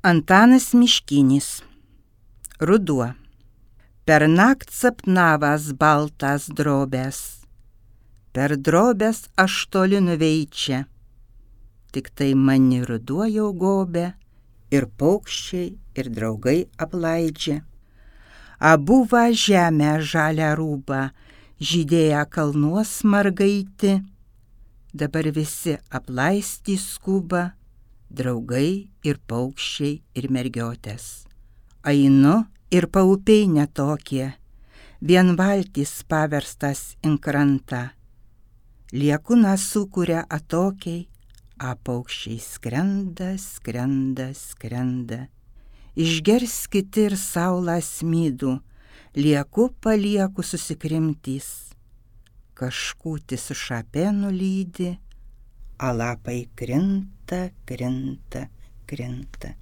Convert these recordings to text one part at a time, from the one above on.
Antanas Miškinis. Ruduo. Per nakt sapnavas baltas drobės, per drobės aš toli nuveičia, tik tai mani ruduo jau gobė, ir paukščiai, ir draugai aplaidžia. Abu va žemę žalią rūbą, žydėję kalnuos margaiti, dabar visi aplaisti skuba, draugai ir paukščiai ir mergiotės. Einu ir paupiai netokie, vien valtys paverstas in krantą. Liekūną sukuria atokiai, a paukščiai skrenda, skrenda, skrenda. Išgers kiti ir saulą smydų, lieku palieku susikrimtys. Kažkūtis su šapė nulydi, a lapai krinta, krinta, krinta.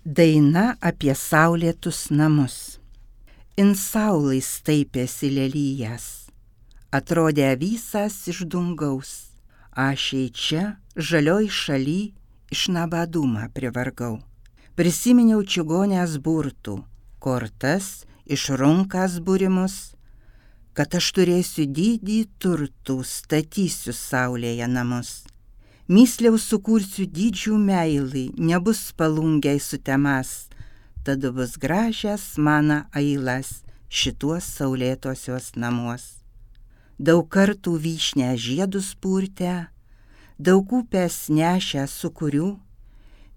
Daina apie saulėtus namus. In saulai staipėsi lelyjas, atrodė visas iš dungaus. Aš čia, žalioj šaly, iš nabadumą privargau. Prisiminiau čigonės burtų, kortas, iš runkas būrimus, kad aš turėsiu didį turtų, statysiu saulėje namus. Mysliau sukursiu didžių meilį, nebus palungiai sutemas, tada bus gražias mano ailas šituos saulėtosios namuos. Daug kartų vyšnę žiedus purtę, daug upės nešę sukurių,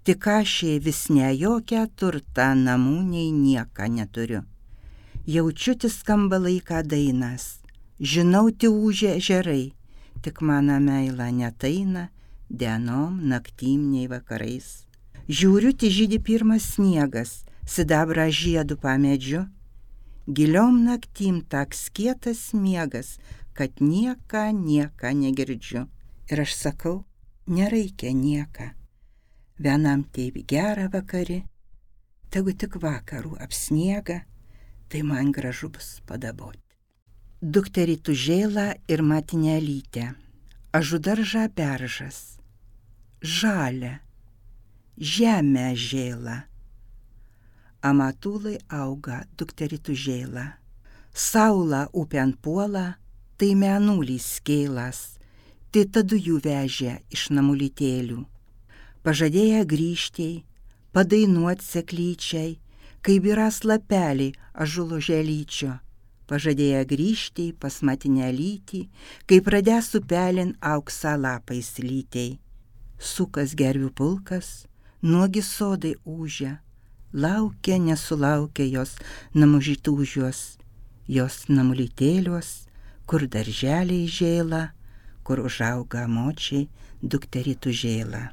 tik aš vis ne jokią turtą namų nei nieką neturiu. Jaučiuti skamba laiką dainas, žinau ūžia ežerai, tik mano meila netaina dienom, naktim nei vakarais. Žiūriu, žydi pirmas sniegas, sidabrą žiedų pamedžiu, giliom naktim taks kietas miegas, kad nieką negirdžiu. Ir aš sakau, nereikia nieką, vienam taip gera vakari, tegu tik vakarų apsniega, tai man gražu bus padaboti. Dukterį Tužėlą ir Matinelytę. Ažudaržą beržas, žalia, žemę žėla. Amatulai auga dukterį Tužėlą. Saula upėn puola, tai menulys kėlas, tai tadu jų vežė iš namulytėlių. Pažadėję grįžtėjai, padainuot seklyčiai, kai biras lapelį ažulo želyčio. Pažadėję grįžtėjai pas Matinelytį, kai pradės upelin auksą lapais lytei. Sukas gervių pulkas, nuogi sodai ūžia, laukia nesulaukia jos namužytūžios, jos namulytėlios, kur darželiai žėla, kur užauga močiai dukterį Tužėlą.